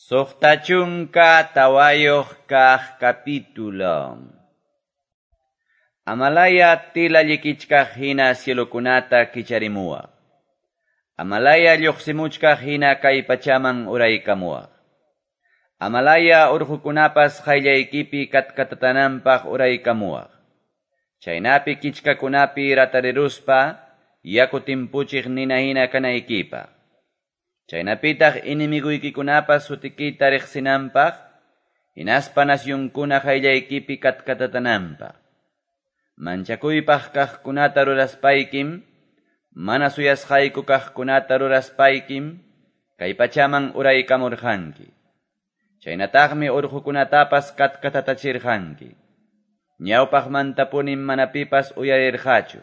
64 kaq capítulo. Amalaya tela llikichkaq hina cielokunata kicharimuwaq. Amalaya lluqsimuchkaq hina kay pachaman uraykamuwaq. Amalaya urqukunapas qayllaykipi katkatatananpaq uraykamuwaq. Chaynapi kichkakunapi ratariruspa yaku timpuchiq nina hina kanaykipaq. Chaynapitaq enemiguykikunapas sutikita riqsinanpaq, hinaspa nacionkuna qayllaykipi katkatatananpaq. Manchakuypaq kaqkunata ruraspaykim, mana suyasqayku kaqkunata ruraspaykim, kay pachaman uraykamurqanki. Chaynataqmi urqukunatapas katkatatachirqanki. Ñawpaqmantapunim mana pipas uyarirqachu.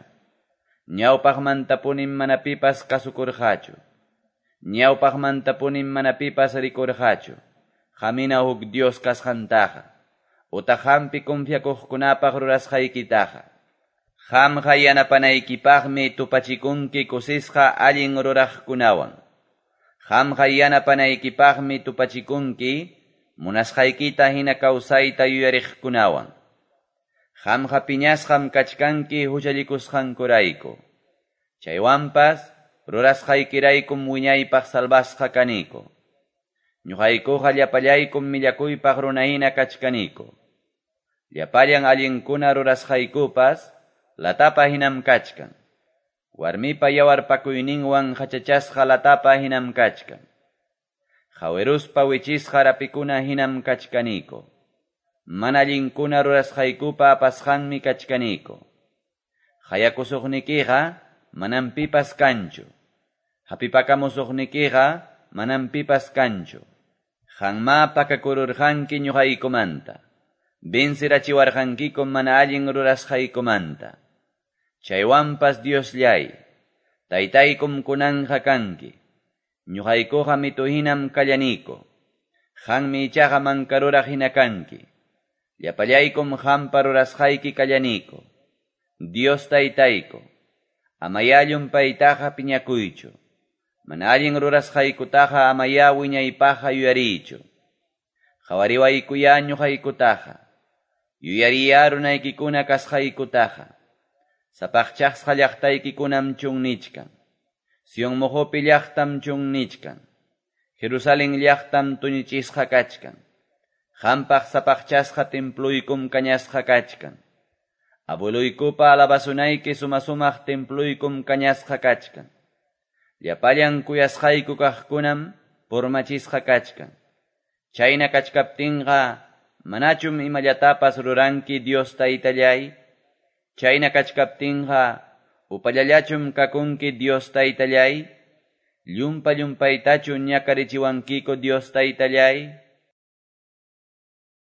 Ñawpaqmantapunim mana pipas kasukurqachu. Ñawpaqmantapunim mana pipas rikurqachu. Qamina huk Dios kasqantaqa. Utaq qampi confiakuqkunapaq rurasqaykitaqa. Qamqa yanapanaykipaqmi tupachikunki kusisqa allin ruraqkunawan. Qamqa yanapanaykipaqmi tupachikunki munasqaykita hina kawsayta yuyariqkunawan. Qamqa piñasqam kachkanki huchallikusqankurayku. Chaywanpas rurasqaykiraykum wiñaypaq salvasqa kaniku. Ñuqaykuqa llapallaykum millakuypaq runahina kachkaniku. Llapallan allinkuna rurasqaykupas latapa hinam kachkan. Warmipa yawarpakuyninwan hachachasqa latapa hinam kachkan. Qawiruspa wichisqa rapikuna hinam kachkaniku. Mana allinkuna rurasqaykupa apasqanmi kachkaniku. Qayakusuqnikiqa manam pipas kanchu. Hapipakamusuqnikiqa manam pipas kanchu. Qanmá pakakururqanki ñuqaykumanta. Vencerachiwarqankikum mana allin rurasqaykumanta. Chaywanpas Diosllay, taytaykum kunanqa kanki. Ñuqaykuqa mitu hinam kallaniku. Qanmi ichaqa mankaruraq hina kanki. Llapallaykum qampa rurasqayki kallaniku. Dios taytayku, amayá llumpaytaqa piñakuychu. Mana allin rurasqaykutaqa amayá wiñaypaqqa yuyariychu. Qhawariwaykuyá ñuqaykutaqa. Yuyariyá runaykikuna kasqaykutaqa. Sapaqchasqa llaqtaykikunam chunnichkan. Sion muqupi llaqtam chunnichkan. Jerusalén llaqtam tuñichisqa kachkan. Qampaq sapaqchasqa templuykum kañasqa kachkan. Abueluykupa alabasunayki suma-sumaq templuykum kañasqa kachkan. Llapallan kuyasqayku kaqkunam purmachisqa kachkan. Chayna kachkaptinqa manachum imallatapas ruranki Dios taytallay. Chayna kachkaptinqa upallallachum kakunki Dios taytallay. Llumpa llumpaytachu ñakarichiwankiku Dios taytallay.